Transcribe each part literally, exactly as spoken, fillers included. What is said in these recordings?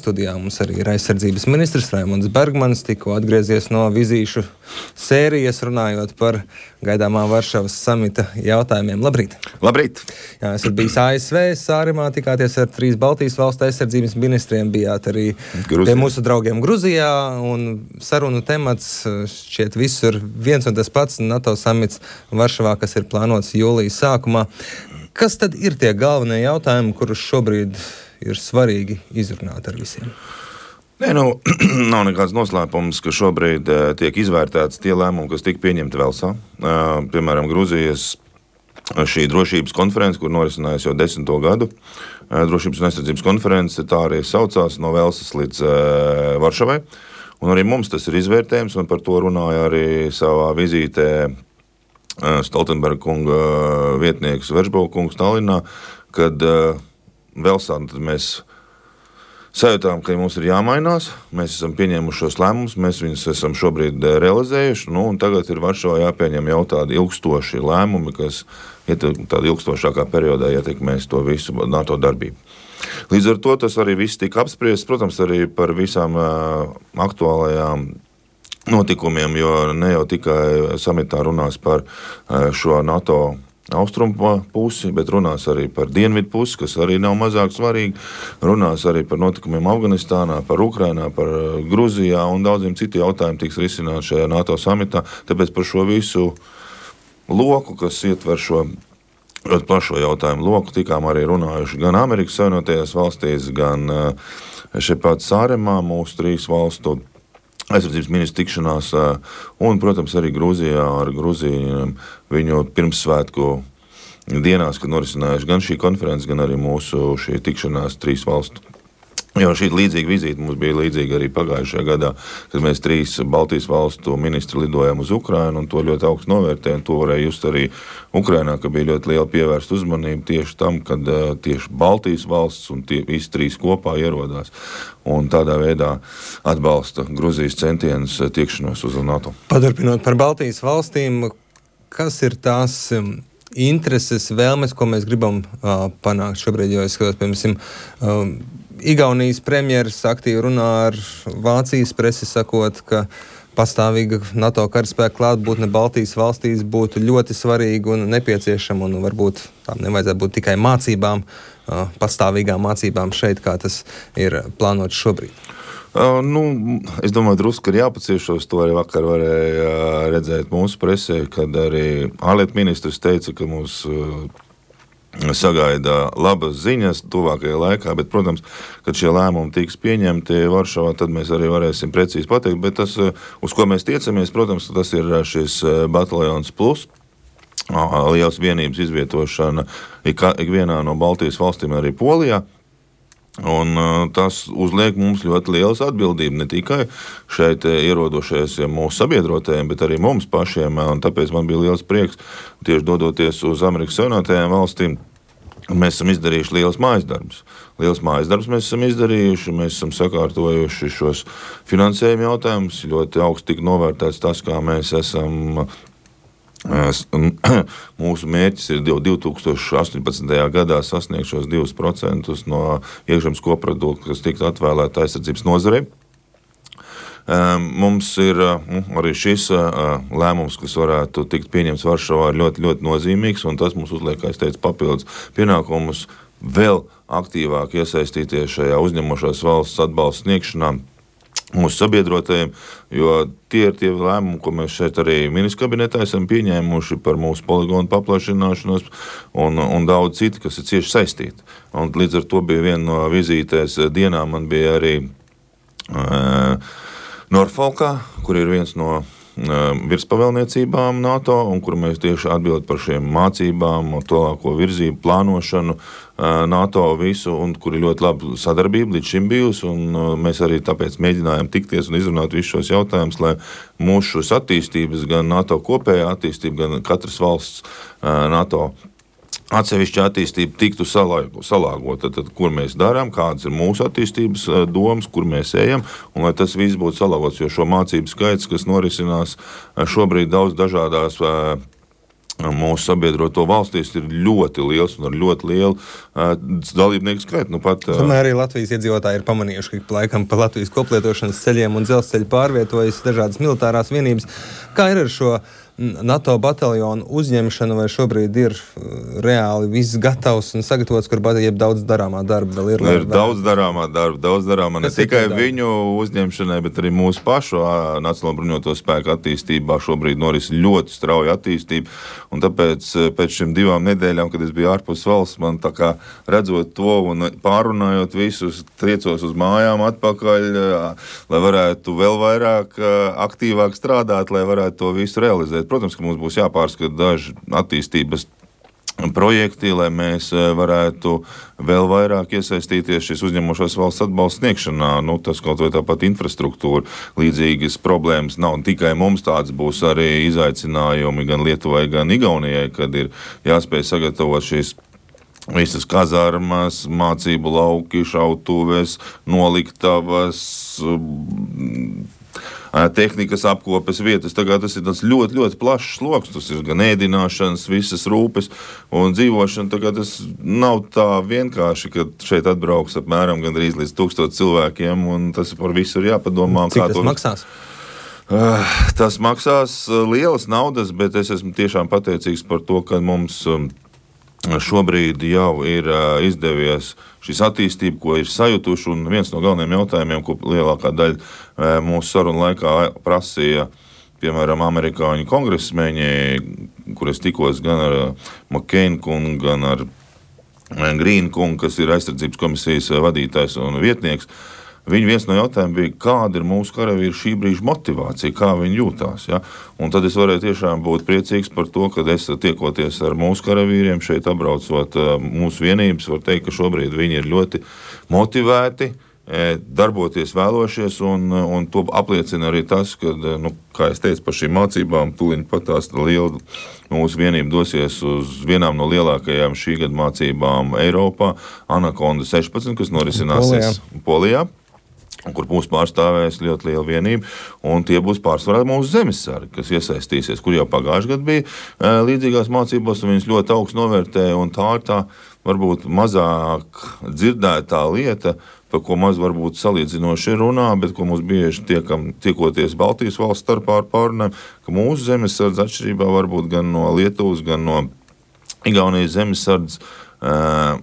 studijā mums arī ir aizsardzības ministrs Raimunds Bergmanis, tikko atgriezies no vizīšu sērijas, runājot par gaidāmā Varšavas samita jautājumiem. Labrīt! Labrīt! Jā, esat bijis A S V, Sārimā, tikāties ar trīs Baltijas valstu aizsardzības ministriem, bijāt arī Gruzijā. Pie mūsu draugiem Gruzijā, un sarunu temats šķiet visur viens un tas pats NATO samits Varšavā, kas ir plānots jūlijas sākumā. Kas tad ir tie galvenie jautājumi, kurus šobrīd ir svarīgi izrunāt ar visiem? Nē, nu, nav nekāds noslēpums, ka šobrīd uh, tiek izvērtēts tie lēmumi, kas tika pieņemti Velsā. Uh, piemēram, Gruzijas šī drošības konference, kur norisinājās jau desmito gadu. Uh, drošības un aizsardzības konference, tā arī saucās no Velsas līdz uh, Varšavai. Un arī mums tas ir izvērtējums, un par to runāja arī savā vizītē Stoltenberga kunga vietnieks Veržbova kungs Tallinā, kad uh, Velsā tad mēs sajūtām, ka mums ir jāmainās, mēs esam pieņēmuši šos lēmumus, mēs viņus esam šobrīd realizējuši, nu, un tagad ir Varšavā jāpieņem jau tādi ilgstoši lēmumi, kas tādā ilgstošākā periodā ietekmēs to visu NATO darbību. Līdz ar to tas arī viss tika apspriests, protams, arī par visām uh, aktuālajām notikumiem, jo ne jau tikai samitā runās par šo NATO austrumu pusi, bet runās arī par dienvidu pusi, kas arī nav mazāk svarīgi. Runās arī par notikumiem Afganistānā, par Ukrainā, par Gruzijā un daudziem citiem jautājumiem tiks risināt šajā NATO samitā. Tāpēc par šo visu loku, kas ietver šo ļoti plašo jautājumu loku, tikām arī runājuši gan Amerikas Savienotajās valstīs, gan šeit pat Sāremā, mūsu trīs valstu aizsardzības ministru tikšanās, un, protams, arī Gruzijā ar Gruziju viņu pirmssvētku dienās, kad norisinājuši gan šī konferences, gan arī mūsu šī tikšanās trīs valstu. Jo šī līdzīga vizīte mums bija līdzīga arī pagājušajā gadā, kad mēs trīs Baltijas valstu ministri lidojām uz Ukrainu, un to ļoti augstu novērtēja, un to varēja just arī Ukrainā, ka bija ļoti liela pievērsta uzmanība tieši tam, kad uh, tieši Baltijas valsts un tie visi trīs kopā ierodās, un tādā veidā atbalsta Gruzijas centienus uh, tiekšanos uz NATO. Paturpinot par Baltijas valstīm, kas ir tās um, intereses, vēlmes, ko mēs gribam uh, panākt šobrīd, jo es skatos, piemēram, um, Igaunijas premjeras aktīvi runā ar Vācijas presi, sakot, ka pastāvīga NATO karaspēka klātbūtne Baltijas valstīs būtu ļoti svarīga un nepieciešama, un varbūt tām nevajadzētu būt tikai mācībām, pastāvīgām mācībām šeit, kā tas ir plānots šobrīd. Uh, nu, es domāju, drusku ir jāpaciešos, to arī vakar varēja redzēt mūsu presē, kad arī ārlietu ministrs teica, ka mūs uh, sagaida labas ziņas tuvākajā laikā, bet, protams, kad šie lēmumi tiks pieņemti Varšavā, tad mēs arī varēsim precīzi pateikt, bet tas, uz ko mēs tiecamies, protams, tas ir šis bataljons plus, liels vienības izvietošana ikvienā no Baltijas valstīm, arī Polijā. Un tas uzliek mums ļoti lielas atbildību, ne tikai šeit ierodošajiem mūsu sabiedrotajiem, bet arī mums pašiem, un tāpēc man bija liels prieks tieši dodoties uz Amerikas Savienotajām valstīm. Mēs esam izdarījuši liels mājas darbus. Liels mājas darbus mēs esam izdarījuši, mēs esam sakārtojuši šos finansējuma jautājumus, ļoti augsti tika novērtēts tas, kā mēs esam. Mūsu mērķis ir divi tūkstoši astoņpadsmitajā gadā sasniegt šos divus procentus no iekšzemes koprodukta, kas tiktu atvēlēta aizsardzības nozarei. Mums ir arī šis lēmums, kas varētu tikt pieņemts Varšavā, ļoti, ļoti nozīmīgs, un tas mums uzliek, kā es teicu, papildus pienākumus vēl aktīvāk iesaistīties šajā uzņemošās valsts atbalsta sniegšanā mūsu sabiedrotajiem, jo tie ir tie lēmumi, ko mēs šeit arī ministru kabinetā esam pieņēmuši par mūsu poligonu paplašināšanos un, un daudz citi, kas ir cieši saistīti. Un līdz ar to bija viena no vizītēs dienā, man bija arī uh, Norfolkā, kur ir viens no uh, virspavēlniecībām NATO, un kur mēs tieši atbild par šiem mācībām, tālāko virzību, plānošanu, NATO visu, un kur ir ļoti laba sadarbība līdz šim bijusi, un mēs arī tāpēc mēģinājām tikties un izrunāt visus šos jautājumus, lai mūsu šos attīstības, gan NATO kopējā attīstība, gan katras valsts NATO atsevišķa attīstība tiktu salāgota, tad kur mēs darām, kādas ir mūsu attīstības domas, kur mēs ejam, un lai tas viss būtu salāgots, jo šo mācību skaits, kas norisinās šobrīd daudz dažādās mūsu sabiedroto valstīs ir ļoti liels un ar ļoti lielu uh, dalībnieku skaitu. Nu, pat, uh, Tomēr arī Latvijas iedzīvotāji ir pamanījuši, ka laikam pa Latvijas koplietošanas ceļiem un dzelzceļu pārvietojas dažādas militārās vienības. Kā ir ar šo NATO bataljonu uzņemšanu, vai šobrīd ir reāli viss gatavs un sagatavots, kur jeb daudz darāmā darba vēl ir? Ir daudz darāmā darba, daudz darāmā ne tikai viņu uzņemšanai, bet arī mūsu pašu Nacionālo bruņoto spēku attīstībā šobrīd noris ļoti strauja attīstība, un tāpēc pēc šiem divām nedēļām, kad es biju ārpus valsts, man tā kā redzot to un pārunājot visus, triecos uz mājām atpakaļ, lai varētu vēl vairāk aktīvāk strādāt, lai varētu to visu realizēt. Protams, ka mums būs jāpārskata daži attīstības projekti, lai mēs varētu vēl vairāk iesaistīties šīs uzņemošās valsts atbalsta sniegšanā. Nu, tas kaut vai tāpat infrastruktūra, līdzīgas problēmas nav. Tikai mums tāds būs arī izaicinājumi gan Lietuvai, gan Igaunijai, kad ir jāspēj sagatavot šīs visas kazarmas, mācību lauki, šautuves, noliktavas, tehnikas apkopes vietas. Tagad tas ir tāds ļoti, ļoti plašs sloks. Tas ir gan ēdināšanas, visas rūpes un dzīvošana. Tagad tas nav tā vienkārši, ka šeit atbrauks apmēram gandrīz līdz tūkstoši cilvēkiem, un tas par visu ir jāpadomā. Cik tas to... maksās? Uh, tas maksās lielas naudas, bet es esmu tiešām pateicīgs par to, ka mums um, šobrīd jau ir uh, izdevies šīs attīstība, ko ir sajutuši, un viens no galvenajiem jautājumiem, ko lielākā daļa uh, mūsu sarunu laikā prasīja, piemēram, amerikāņu kongresmeņi, kur es tikos gan ar uh, McCain kungu, gan ar uh, Green kungu, kas ir aizsardzības komisijas uh, vadītājs un vietnieks. Viņa viens no jautājumiem bija, kāda ir mūsu karavīru šī brīža motivācija, kā viņi jūtās. Ja? Un tad es varēju tiešām būt priecīgs par to, ka es tiekoties ar mūsu karavīriem, šeit apbraucot mūsu vienības, var teikt, ka šobrīd viņi ir ļoti motivēti, darboties vēlošies, un, un to apliecina arī tas, ka, nu, kā es teicu, par šīm mācībām tūlīt pat tās liela mūsu vienība dosies uz vienām no lielākajām šī gada mācībām Eiropā, Anakonda sešpadsmit, kas norisināsies Polijā. Polijā. Kur mūs pārstāvēs ļoti liela vienība, un tie būs pārsvarā mūsu zemesargi, kas iesaistīsies, kur jau pagājuši gadu bija e, līdzīgās mācībās, un viņas ļoti augstu novērtēja, un tā ir tā varbūt mazāk dzirdētā lieta, par ko maz varbūt salīdzinoši runā, bet ko mums bieži tiekam, tiekoties Baltijas valsts starpā ar pārunēm, ka mūsu zemesardze atšķirībā varbūt gan no Lietuvas, gan no Igaunijas zemesardzes,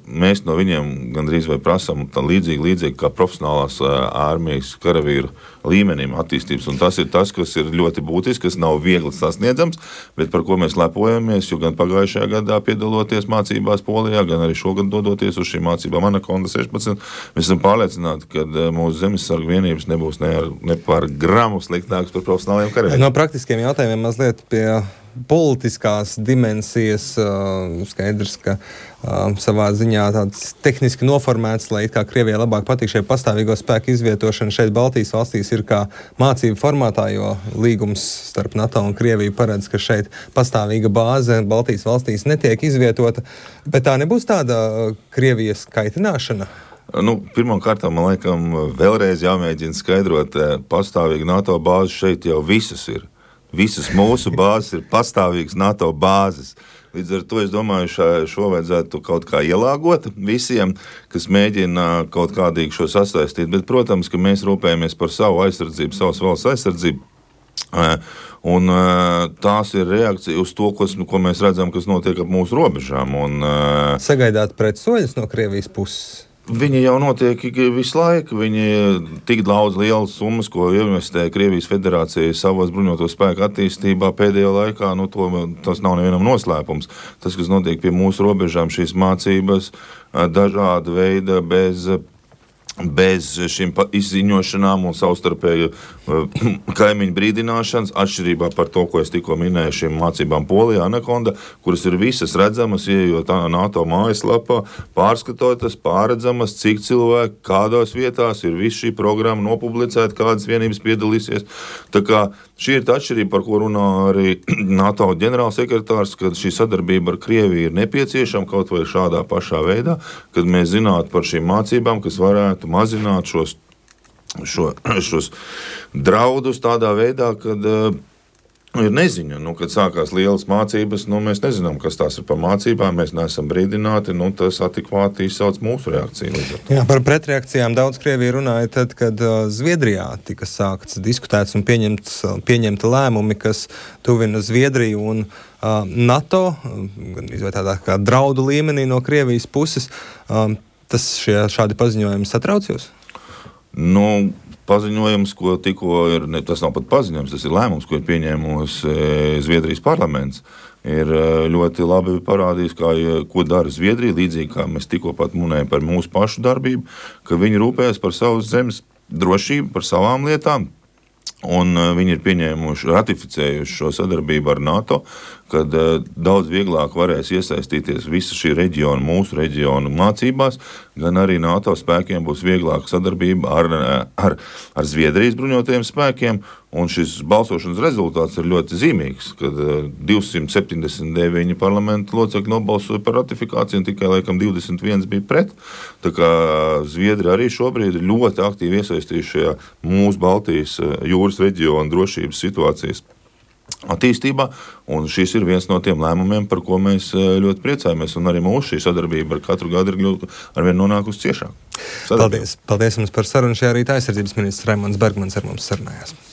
mēs no viņiem gandrīz vai prasām līdzīgi, līdzīgi kā profesionālās ārmijas karavīru līmenim attīstības. Un tas ir tas, kas ir ļoti būtisks, kas nav viegli sasniedzams, bet par ko mēs lepojamies, jo gan pagājušajā gadā piedaloties mācībās Polijā, gan arī šogad dodoties uz šīm mācībām Anakonda sešpadsmit, mēs esam pārliecināti, ka mūsu zemesargu vienības nebūs ne, ar, ne par gramu sliktāks par profesionāliem karavīriem. No praktiskiem jautājumiem mazliet pie politiskās dimensijas, uh, skaidrs, ka uh, savā ziņā tāds tehniski noformēts, lai it kā Krievijai labāk patīk šie pastāvīgo spēku izvietošana šeit Baltijas valstīs ir kā mācību formātā, jo līgums starp NATO un Krieviju paredz, ka šeit pastāvīga bāze Baltijas valstīs netiek izvietota, bet tā nebūs tāda uh, Krievijas kaitināšana? Nu, pirmkārt, man laikam vēlreiz jāmēģina skaidrot, pastāvīgi NATO bāzes šeit jau visas ir. Visas mūsu bāzes ir pastāvīgas NATO bāzes. Līdz ar to es domāju, šā, šo vajadzētu kaut kā ielāgot visiem, kas mēģina kaut kādīgi šo sasaistīt. Bet, protams, ka mēs rūpējamies par savu aizsardzību, savas valsts aizsardzību. Un tās ir reakcija uz to, kas, ko mēs redzam, kas notiek ap mūsu robežām. Un, Sagaidāt pretsoļus no Krievijas puses? Viņi jau notiek visu laiku. Viņi tik daudz lielas summas, ko investē Krievijas federācija savos bruņoto spēku attīstībā pēdējā laikā, nu, to, tas nav nevienam noslēpums. Tas, kas notiek pie mūsu robežām, šīs mācības, dažāda veida bez, bez šīm izziņošanām un savstarpēju kaimiņu brīdināšanas, atšķirībā par to, ko es tikko minēju, šīm mācībām Polijā, Anakonda, kuras ir visas redzamas, ieejot NATO mājaslapā, pārskatotas, pārredzamas, cik cilvēki, kādās vietās ir viss šī programma nopublicēta, kādas vienības piedalīsies. Tā kā šī ir tā atšķirība, par ko runā arī NATO ģenerālsekretārs, kad šī sadarbība ar Krieviju ir nepieciešama kaut vai šādā pašā veidā, kad mēs zinātu par šīm mācībām, kas varētu mazināt šos Šo, šos draudus tādā veidā, kad Ir neziņa, nu, kad sākās lielas mācības, nu, mēs nezinām, kas tās ir par mācībām, mēs neesam brīdināti, nu, tas adekvāti izsauc mūsu reakciju. Jā, par pretreakcijām daudz Krievija runāja tad, kad uh, Zviedrijā tika sākts diskutēts un pieņemts, pieņemta lēmumi, kas tuvina Zviedriju un uh, NATO, gan izvēl tādā kā draudu līmenī no Krievijas puses. Uh, tas šie, šādi paziņojumi satrauc jūs? Nu, paziņojums, ko tikko ir, ne, tas nav pat paziņojums, tas ir lēmums, ko ir pieņēmusi Zviedrijas parlaments, ir ļoti labi parādījis, kā, ko dara Zviedrija, līdzīgi kā mēs tikko pat munējam par mūsu pašu darbību, ka viņi rūpējas par savas zemes drošību, par savām lietām, un viņi ir pieņēmuši, ratificējuši šo sadarbību ar NATO, kad daudz vieglāk varēs iesaistīties visa šī reģiona, mūsu reģiona mācībās, gan arī NATO spēkiem būs vieglāka sadarbība ar, ar, ar Zviedrijas bruņotajiem spēkiem, un šis balsošanas rezultāts ir ļoti zīmīgs, kad divsimt septiņdesmit deviņi parlamenta locekļi nobalsoja par ratifikāciju, un tikai laikam divdesmit viens bija pret. Tā kā Zviedri arī šobrīd ir ļoti aktīvi iesaistījuši šajā mūsu Baltijas jūras reģiona drošības situācijas attīstībā, un šis ir viens no tiem lēmumiem, par ko mēs ļoti priecājamies, un arī mūsu šī sadarbība ar katru gadu ir arvien nonākusi ciešāk. Paldies, paldies jums par sarunu. Šajā rītā aizsardzības ministrs Raimonds Bergmans ar mums sarunājās.